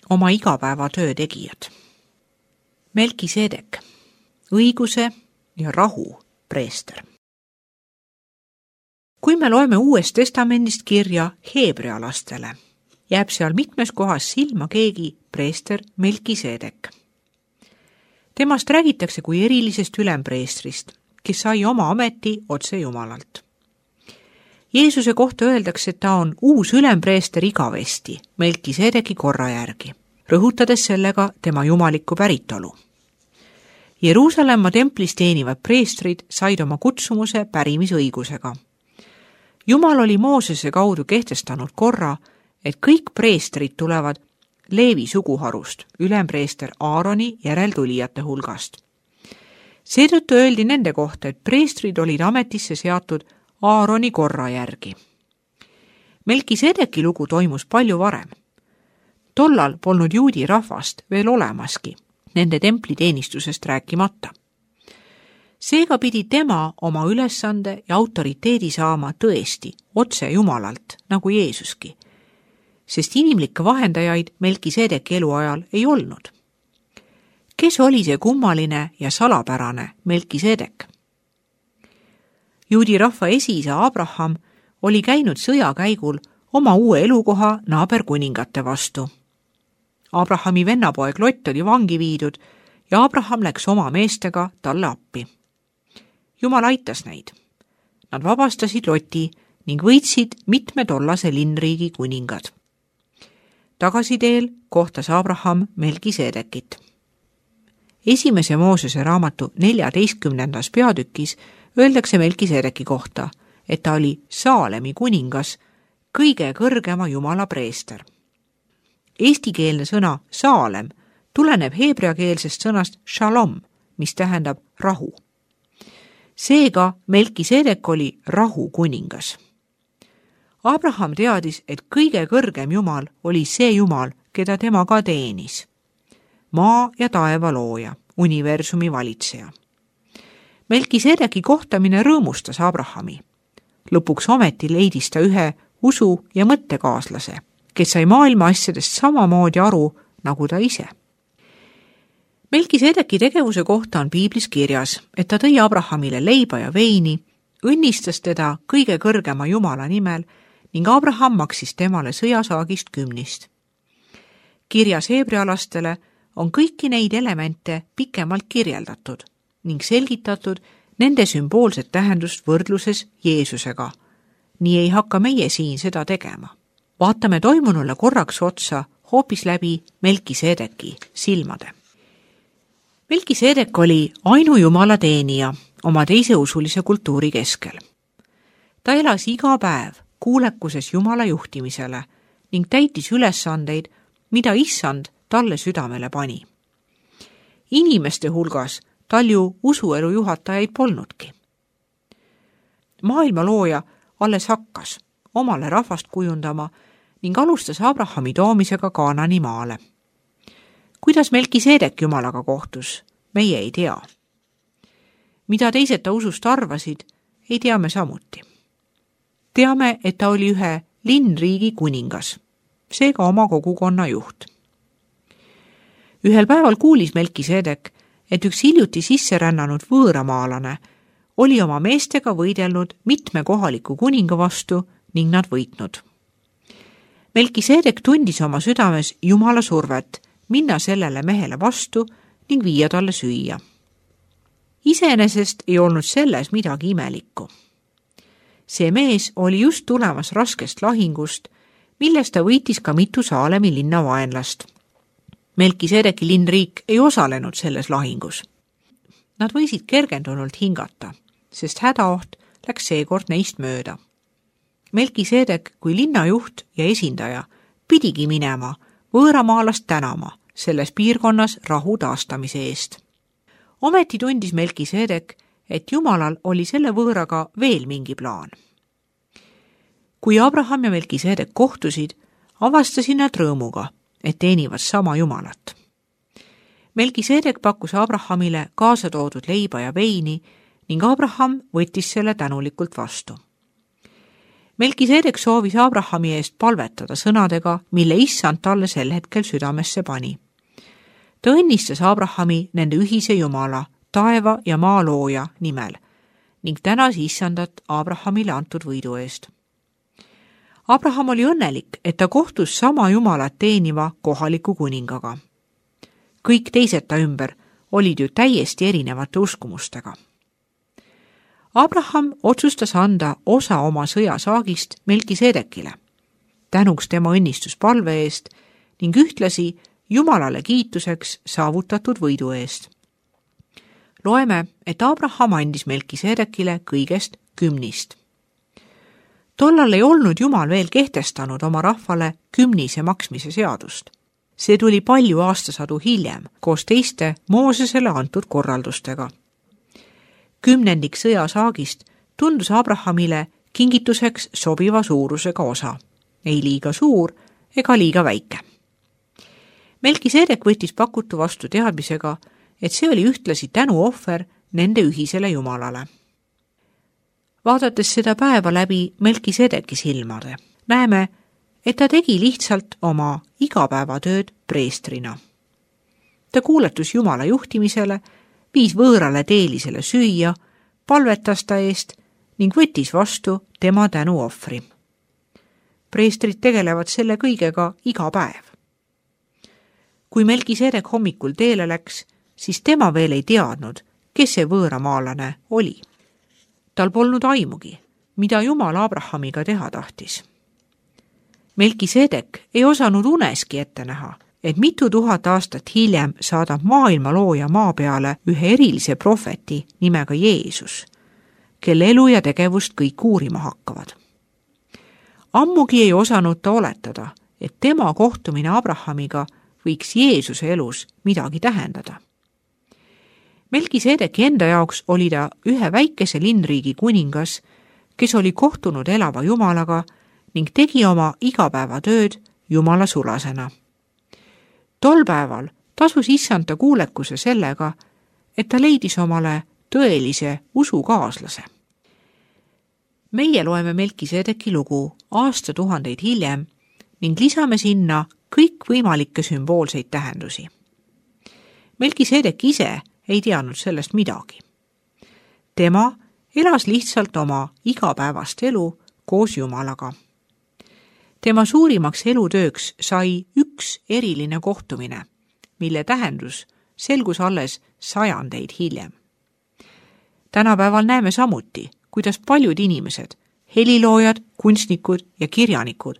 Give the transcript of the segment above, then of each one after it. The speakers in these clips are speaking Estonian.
oma igapäevatöö tegijad. Melkisedek, õiguse ja rahu preester. Kui me loeme Uuest Testamendist kirja Heebrea lastele, jääb seal mitmes kohas silma keegi preester Melkisedek. Temast räägitakse kui erilisest ülempreestrist, kes sai oma ameti otse Jumalalt. Jeesuse kohta öeldakse, et ta on uus ülempreester igavesti Melkisedeki korra järgi, rõhutades sellega tema jumalikku päritolu. Jeruusalemma templis teenivad preestrid said oma kutsumuse pärimisõigusega. Jumal oli Moosese kaudu kehtestanud korra, et kõik preestrid tulevad Leevi suguharust, ülempreester Aaroni järeltulijate hulgast. Seetõttu öeldi nende kohta, et preestrid olid ametisse seatud Aaroni korra järgi. Melkisedeki lugu toimus palju varem. Tollal polnud juudi rahvast veel olemaski, nende templiteenistusest rääkimata. Seega pidi tema oma ülesande ja autoriteedi saama tõesti otse Jumalalt, nagu Jeesuski, sest inimlikke vahendajaid Melkisedeki eluajal ei olnud. Kes oli see kummaline ja salapärane Melkisedek? Juudi rahva esiisa Abraham oli käinud sõjakäigul oma uue elukoha naaberkuningate vastu. Abrahami vennapoeg Lot oli vangi viidud ja Abraham läks oma meestega talle appi. Jumal aitas neid. Nad vabastasid Loti ning võitsid mitme tollase linnriigi kuningad. Tagasiteel kohtas Abraham Melkisedekit. Esimese Moosese raamatu 14. peatükis öeldakse Melkisedeki kohta, et ta oli Saalemi kuningas, kõige kõrgema Jumala preester. Eestikeelne sõna Saalem tuleneb heebreakeelsest sõnast shalom, mis tähendab rahu. Seega Melkisedek oli rahu kuningas. Abraham teadis, et kõige kõrgem Jumal oli see Jumal, keda tema ka teenis. Maa ja taeva looja, universumi valitseja. Melkisedeki kohtamine rõõmustas Abrahami. Lõpuks ometi leidis ta ühe usu- ja mõttekaaslase, kes sai maailma asjadest samamoodi aru, nagu ta ise. Melkisedeki tegevuse kohta on piiblis kirjas, et ta tõi Abrahamile leiba ja veini, õnnistas teda kõige kõrgema Jumala nimel ning Abraham maksis temale sõjasaagist 10. Kirjas heebrealastele on kõiki neid elemente pikemalt kirjeldatud ning selgitatud nende sümboolset tähendust võrdluses Jeesusega. Nii ei hakka meie siin seda tegema. Vaatame toimunule korraks otsa hoopis läbi Melkisedeki silmade. Melkisedek oli ainu Jumala teenija oma teiseusulise kultuuri keskel. Ta elas iga päev kuulekuses Jumala juhtimisele ning täitis ülesandeid, mida Issand talle südamele pani. Inimeste hulgas tal ju usuelu juhatajaid polnudki. Maailma looja alles hakkas omale rahvast kujundama ning alustas Abrahami toomisega Kaanani maale. Kuidas Melkisedek Jumalaga kohtus, meie ei tea. Mida teised ta usust arvasid, ei tea me samuti. Teame, et ta oli ühe linnriigi kuningas, seega oma kogukonna juht. Ühel päeval kuulis Melkisedek, et üks hiljuti sisse rännanud võõramaalane oli oma meestega võidelnud mitme kohaliku kuninga vastu ning nad võitnud. Melkisedek tundis oma südames Jumala survet minna sellele mehele vastu ning viia talle süüa. Iseenesest ei olnud selles midagi imelikku. See mees oli just tulemas raskest lahingust, millest ta võitis ka mitu Saalemi linna vaenlast. Melkisedeki linnriik ei osalenud selles lahingus. Nad võisid kergendunult hingata, sest hädaoht läks seekord neist mööda. Melkisedek kui linnajuht ja esindaja pidigi minema võõramaalast tänama selles piirkonnas rahu taastamise eest. Ometi tundis Melkisedek, et Jumalal oli selle võõraga veel mingi plaan. Kui Abraham ja Melkisedek kohtusid, avastasid nad rõõmuga, et teenivad sama Jumalat. Melkisedek pakkus Abrahamile kaasa toodud leiba ja veini ning Abraham võttis selle tänulikult vastu. Melkiseedek soovis Abrahami eest palvetada sõnadega, mille issand talle sel hetkel südamesse pani. Ta õnnistas Abrahami nende ühise Jumala, taeva ja maa looja nimel ning tänas issandat Abrahamile antud võidu eest. Abraham oli õnnelik, et ta kohtus sama Jumalat teeniva kohaliku kuningaga. Kõik teised ta ümber olid ju täiesti erinevate uskumustega. Abraham otsustas anda osa oma sõjasaagist Melkiseedekile, tänuks tema õnnistuspalve eest ning ühtlasi Jumalale kiituseks saavutatud võidu eest. Loeme, et Abraham andis Melkiseedekile kõigest 10. Tollal ei olnud Jumal veel kehtestanud oma rahvale 10 maksmise seadust. See tuli palju aastasadu hiljem koos teiste Moosesele antud korraldustega. 10. sõjasaagist tundus Abrahamile kingituseks sobiva suurusega osa, ei liiga suur ega liiga väike. Melkiseedek võttis pakutu vastu teadmisega, et see oli ühtlasi tänuohver nende ühisele Jumalale. Vaadates seda päeva läbi Melkiseedeki silmade, näeme, et ta tegi lihtsalt oma igapäevatööd preestrina. Ta kuuletus Jumala juhtimisele, viis võõrale teelisele süüa, palvetas ta eest ning võttis vastu tema tänuohvri. Preestrid tegelevad selle kõigega iga päev. Kui Melkiseedek hommikul teele läks, siis tema veel ei teadnud, kes see võõramaalane oli. Tal polnud aimugi, mida Jumal Abrahamiga teha tahtis. Melkiseedek ei osanud uneski ette näha, et mitu tuhat aastat hiljem saadab maailma looja maa peale ühe erilise prohveti nimega Jeesus, kelle elu ja tegevust kõik uurima hakkavad. Ammugi ei osanud ta oletada, et tema kohtumine Abrahamiga võiks Jeesuse elus midagi tähendada. Melkiseedeki enda jaoks oli ta ühe väikese linnriigi kuningas, kes oli kohtunud elava Jumalaga ning tegi oma igapäevatööd Jumala sulasena. Tol päeval tasus issand ta kuulekuse sellega, et ta leidis omale tõelise usukaaslase. Meie loeme Melkiseedeki lugu aastatuhandeid hiljem ning lisame sinna kõikvõimalikke sümboolseid tähendusi. Melkiseedek ise ei teadnud sellest midagi. Tema elas lihtsalt oma igapäevast elu koos Jumalaga. Tema suurimaks elutööks sai üks eriline kohtumine, mille tähendus selgus alles sajandeid hiljem. Tänapäeval näeme samuti, kuidas paljud inimesed, heliloojad, kunstnikud ja kirjanikud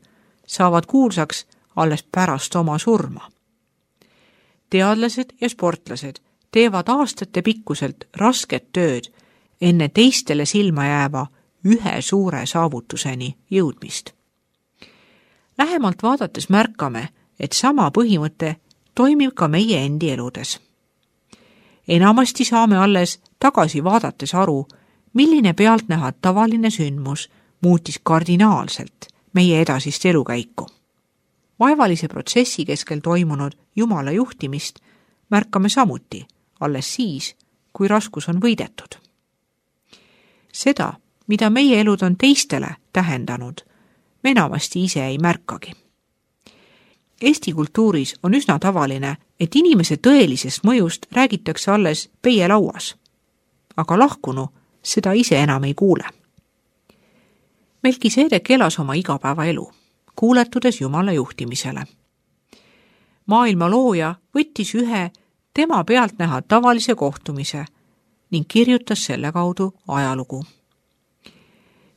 saavad kuulsaks alles pärast oma surma. Teadlased ja sportlased teevad aastate pikkuselt rasket tööd enne teistele silma jääva ühe suure saavutuseni jõudmist. Lähemalt vaadates märkame, et sama põhimõte toimib ka meie endi eludes. Enamasti saame alles tagasi vaadates aru, milline pealtnäha tavaline sündmus muutis kardinaalselt meie edasist elukäiku. Vaevalise protsessi keskel toimunud Jumala juhtimist märkame samuti alles siis, kui raskus on võidetud. Seda, mida meie elud on teistele tähendanud, me enamasti ise ei märkagi. Eesti kultuuris on üsna tavaline, et inimese tõelisest mõjust räägitakse alles peielauas, aga lahkunu seda ise enam ei kuule. Melkiseedek elas oma igapäevaelu, kuuletudes Jumala juhtimisele. Maailma looja võttis ühe tema pealtnäha tavalise kohtumise ning kirjutas selle kaudu ajalugu.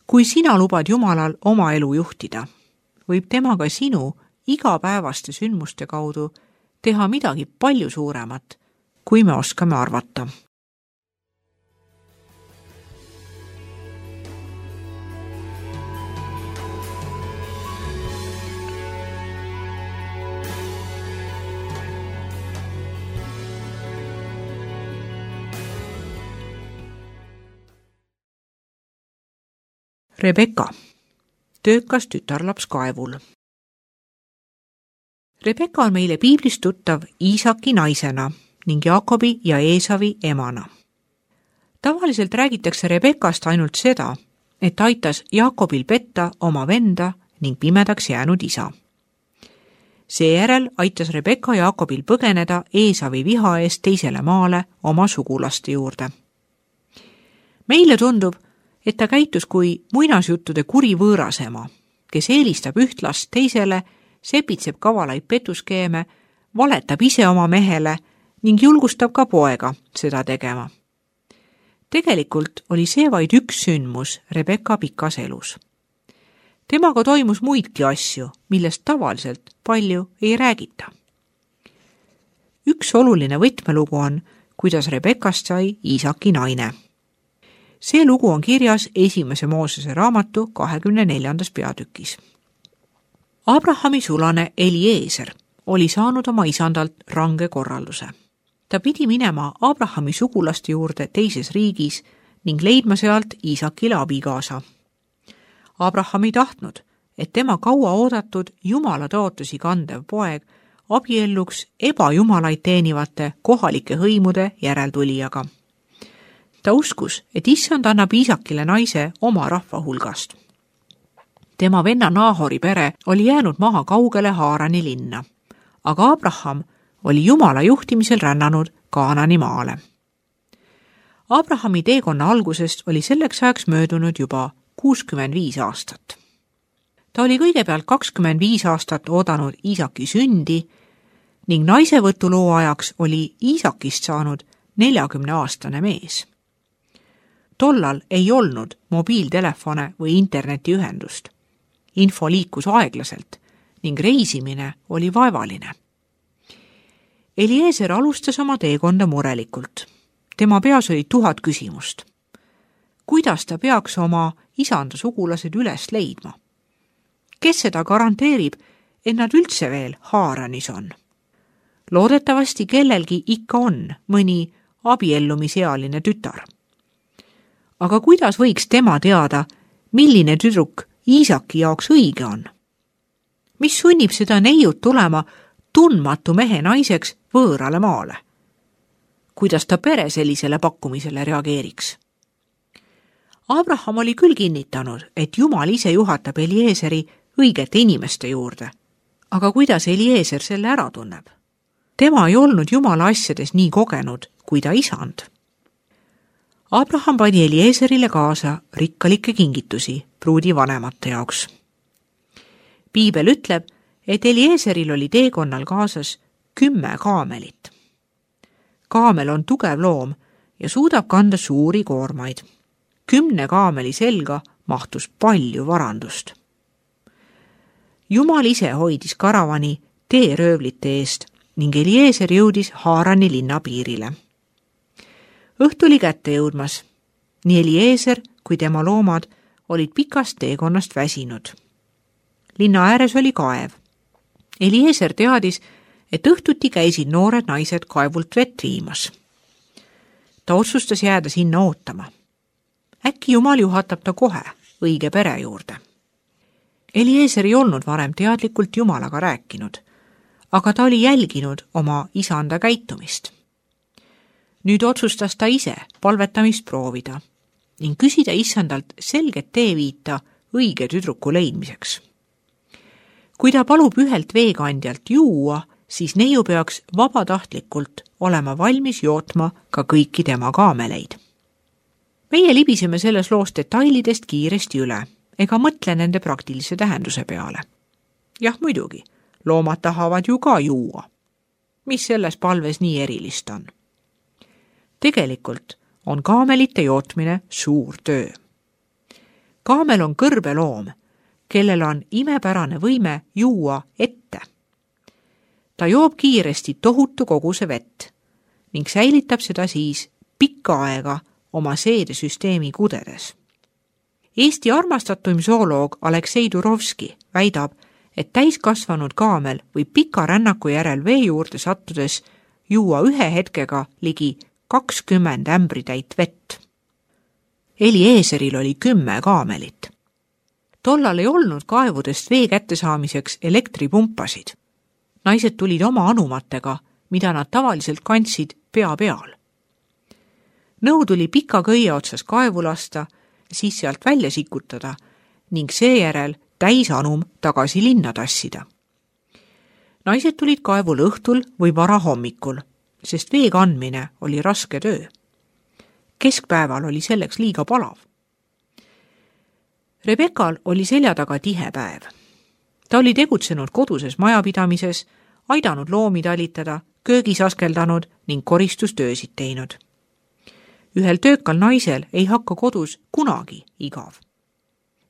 Kui sina lubad Jumalal oma elu juhtida, võib tema ka sinu igapäevaste sündmuste kaudu teha midagi palju suuremat, kui me oskame arvata. Rebeka, töökas tütarlaps kaevul. Rebeka on meile piiblist tuttav Iisaki naisena ning Jaakobi ja Eesavi emana. Tavaliselt räägitakse Rebekast ainult seda, et aitas Jaakobil petta oma venda ning pimedaks jäänud isa. Seejärel aitas Rebekka Jaakobil põgeneda Eesavi viha eest teisele maale oma sugulaste juurde. Meile tundub, et ta käitus kui muinasjuttude kuri võõrasema, kes eelistab üht last teisele, sepitseb kavalaid petuskeeme, valetab ise oma mehele ning julgustab ka poega seda tegema. Tegelikult oli see vaid üks sündmus Rebekka pikas elus. Temaga toimus muidki asju, millest tavaliselt palju ei räägita. Üks oluline võtmelugu on, kuidas Rebekast sai Iisaki naine. See lugu on kirjas 1. Moosese raamatu 24. peatükis. Abrahami sulane Eliezer oli saanud oma isandalt range korralduse. Ta pidi minema Abrahami sugulaste juurde teises riigis ning leidma sealt Iisakile abikaasa. Abraham ei tahtnud, et tema kaua oodatud jumala tõotusi kandev poeg abielluks ebajumalaid teenivate kohalike hõimude järeltulijaga. Ta uskus, et issand annab Iisakile naise oma rahva hulgast. Tema venna Naahori pere oli jäänud maha kaugele Haarani linna, aga Abraham oli jumala juhtimisel rännanud Kaanani maale. Abrahami teekonna algusest oli selleks ajaks möödunud juba 65 aastat. Ta oli kõigepealt 25 aastat oodanud Iisaki sündi ning naisevõtuloo ajaks oli Iisakist saanud 40-aastane mees. Tollal ei olnud mobiiltelefone või internetiühendust. Info liikus aeglaselt ning reisimine oli vaevaline. Eliezer alustas oma teekonda murelikult. Tema peas oli 1000 küsimust. Kuidas ta peaks oma isanda sugulased üles leidma? Kes seda garanteerib, et nad üldse veel Haaranis on? Loodetavasti kellelgi ikka on mõni abiellumisealine tütar. Aga kuidas võiks tema teada, milline tüdruk Iisaki jaoks õige on? Mis sunnib seda neiut tulema tundmatu mehe naiseks võõrale maale? Kuidas ta pere sellisele pakkumisele reageeriks? Abraham oli küll kinnitanud, et Jumal ise juhatab Eliezeri õigete inimeste juurde. Aga kuidas Eliezer selle ära tunneb? Tema ei olnud Jumala asjades nii kogenud kui ta isand. Abraham pani Eliezerile kaasa rikkalikke kingitusi pruudi vanemate jaoks. Piibel ütleb, et Eliezeril oli teekonnal kaasas 10 kaamelit. Kaamel on tugev loom ja suudab kanda suuri koormaid. 10 kaameli selga mahtus palju varandust. Jumal ise hoidis karavani teeröövlite eest ning Eliezer jõudis Haarani linna piirile. Õhtu oli kätte jõudmas. Nii Eliezer kui tema loomad olid pikast teekonnast väsinud. Linna ääres oli kaev. Eliezer teadis, et õhtuti käisid noored naised kaevult vett viimas. Ta otsustas jääda sinna ootama. Äkki Jumal juhatab ta kohe õige pere juurde. Eliezer ei olnud varem teadlikult Jumalaga rääkinud, aga ta oli jälginud oma isanda käitumist. Nüüd otsustas ta ise palvetamist proovida ning küsida issandalt selget teeviita õige tüdruku leidmiseks. Kui ta palub ühelt veekandjalt juua, siis neiu peaks vabatahtlikult olema valmis jootma ka kõiki tema kaameleid. Meie libiseme selles loos detailidest kiiresti üle ega mõtle nende praktilise tähenduse peale. Jah, muidugi, loomad tahavad ju ka juua. Mis selles palves nii erilist on? Tegelikult on kaamelite jootmine suur töö. Kaamel on kõrbeloom, kellel on imepärane võime juua ette. Ta joob kiiresti tohutu koguse vett ning säilitab seda siis pikka aega oma seedesüsteemi kudedes. Eesti armastatuim zooloog Aleksei Turovski väidab, et täiskasvanud kaamel võib pika rännaku järel vee juurde sattudes juua ühe hetkega ligi 20 ämbritäit vett. Eliezeril oli 10 kaamelit. Tollal ei olnud kaevudest vee kättesaamiseks elektripumpasid. Naised tulid oma anumatega, mida nad tavaliselt kandsid pea peal. Nõu tuli pika köie otsas kaevu lasta siis sealt välja sikutada ning seejärel täisanum tagasi linna tassida. Naised tulid kaevule õhtul või varahommikul, sest vee kandmine oli raske töö. Keskpäeval oli selleks liiga palav. Rebekal oli selja taga tihe päev. Ta oli tegutsenud koduses majapidamises, aidanud loomi talitada, köögis askeldanud ning koristustöösid teinud. Ühel töökal naisel ei hakka kodus kunagi igav.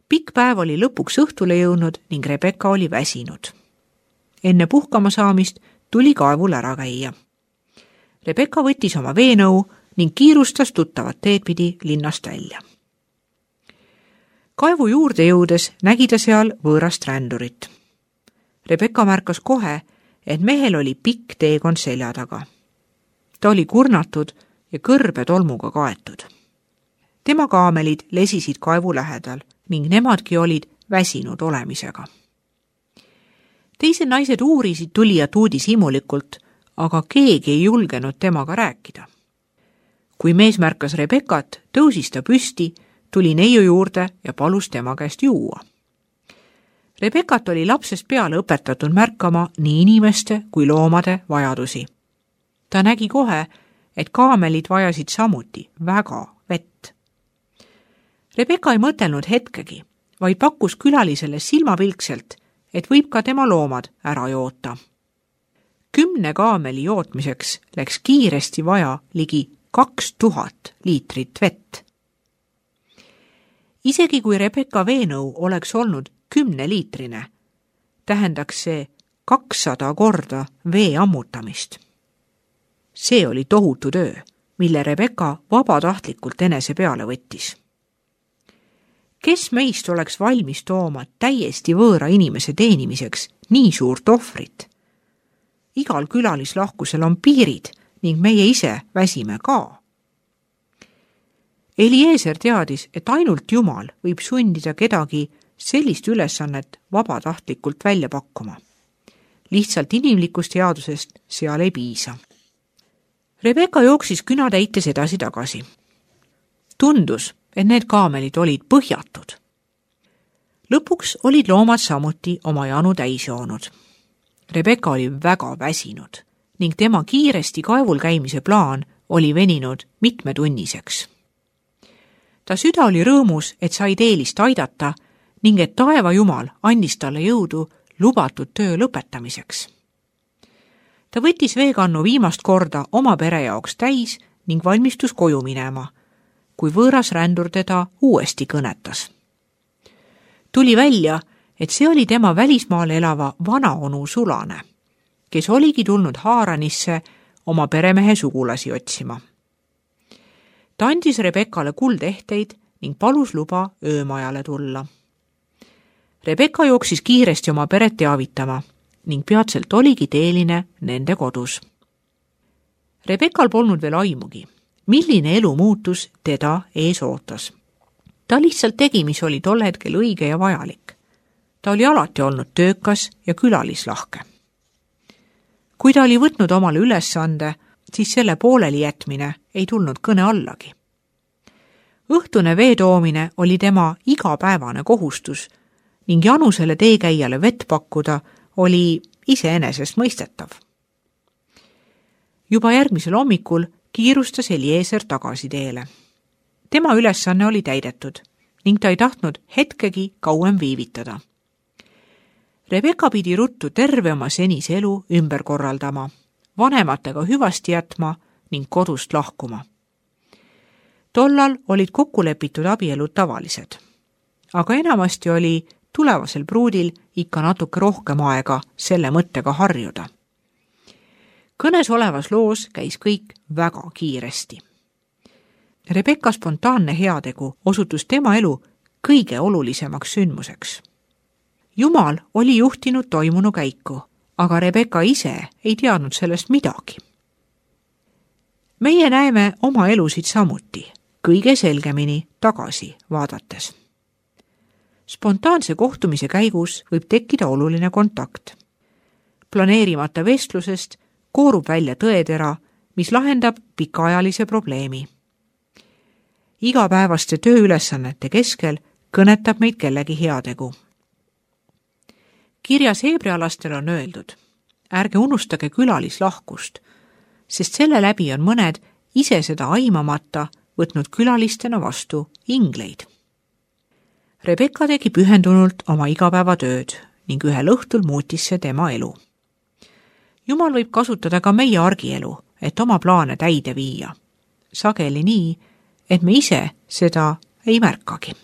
Pikk päev oli lõpuks õhtule jõudnud ning Rebeka oli väsinud. Enne puhkama saamist tuli kaevul ära käia. Rebeka võttis oma veenõu ning kiirustas tuttavat teed pidi linnast välja. Kaevu juurde jõudes nägi ta seal võõrast rändurit. Rebeka märkas kohe, et mehel oli pikk teekond selja taga. Ta oli kurnatud ja kõrbe tolmuga kaetud. Tema kaamelid lesisid kaevu lähedal ning nemadki olid väsinud olemisega. Teised naised uurisid tulijat uudishimulikult, aga keegi ei julgenud temaga rääkida. Kui mees märkas Rebekat, tõusis ta püsti, tuli neiu juurde ja palus tema käest juua. Rebekat oli lapsest peale õpetatud märkama nii inimeste kui loomade vajadusi. Ta nägi kohe, et kaamelid vajasid samuti väga vett. Rebeka ei mõtelnud hetkegi, vaid pakkus külalisele silmapilkselt, et võib ka tema loomad ära joota. 10 kaameli jootmiseks läks kiiresti vaja ligi 2000 liitrit vett. Isegi kui Rebeka veenõu oleks olnud 10-liitrine, tähendaks see 200 korda vee ammutamist. See oli tohutu töö, mille Rebeka vabatahtlikult enese peale võttis. Kes meist oleks valmis tooma täiesti võõra inimese teenimiseks nii suurt ohvrit? Igal külalislahkusel on piirid ning meie ise väsime ka. Eliezer teadis, et ainult Jumal võib sundida kedagi sellist ülesannet vabatahtlikult välja pakkuma. Lihtsalt inimlikust headusest seal ei piisa. Rebeka jooksis küna täites edasi-tagasi. Tundus, et need kaamelid olid põhjatud. Lõpuks olid loomad samuti oma janu täis joonud. Rebeka oli väga väsinud ning tema kiiresti kaevul käimise plaan oli veninud mitmetunniseks. Ta süda oli rõõmus, et sai teelist aidata ning et taeva Jumal andis talle jõudu lubatud töö lõpetamiseks. Ta võttis veekannu viimast korda oma pere jaoks täis ning valmistus koju minema, kui võõras rändur teda uuesti kõnetas. Tuli välja, et see oli tema välismaal elava vanaonu Sulane, kes oligi tulnud Haaranisse oma peremehe sugulasi otsima. Ta andis Rebekale kuldehteid ning palus luba öömajale tulla. Rebeka jooksis kiiresti oma peret teavitama ning peatselt oligi teeline nende kodus. Rebekal polnud veel aimugi, milline elu muutus teda ees ootas. Ta lihtsalt tegi, mis oli tol hetkel õige ja vajalik. Ta oli alati olnud töökas ja külalislahke. Kui ta oli võtnud omale ülesande, siis selle pooleli jätmine ei tulnud kõne allagi. Õhtune vee toomine oli tema igapäevane kohustus ning janusele teekäijale vett pakkuda oli iseenesest mõistetav. Juba järgmisel hommikul kiirustas Eliezer tagasi teele. Tema ülesanne oli täidetud ning ta ei tahtnud hetkegi kauem viivitada. Rebeka pidi ruttu terve oma senise elu ümber korraldama, vanematega hüvasti jätma ning kodust lahkuma. Tollal olid kokku lepitud abielud tavalised, aga enamasti oli tulevasel pruudil ikka natuke rohkem aega selle mõttega harjuda. Kõnes olevas loos käis kõik väga kiiresti. Rebeka spontaanne heategu osutus tema elu kõige olulisemaks sündmuseks. Jumal oli juhtinud toimunu käiku, aga Rebeka ise ei teadnud sellest midagi. Meie näeme oma elusid samuti, kõige selgemini tagasi vaadates. Spontaanse kohtumise käigus võib tekkida oluline kontakt. Planeerimata vestlusest koorub välja tõetera, mis lahendab pikaajalise probleemi. igapäevaste tööülesannete keskel kõnetab meid kellegi heategu. Kirjas heebrealastel on öeldud, ärge unustage külalislahkust, sest selle läbi on mõned ise seda aimamata võtnud külalistena vastu ingleid. Rebecca tegi pühendunult oma igapäevatööd ning ühel õhtul muutis see tema elu. Jumal võib kasutada ka meie argielu, et oma plaane täide viia. Sageli nii, et me ise seda ei märkagi.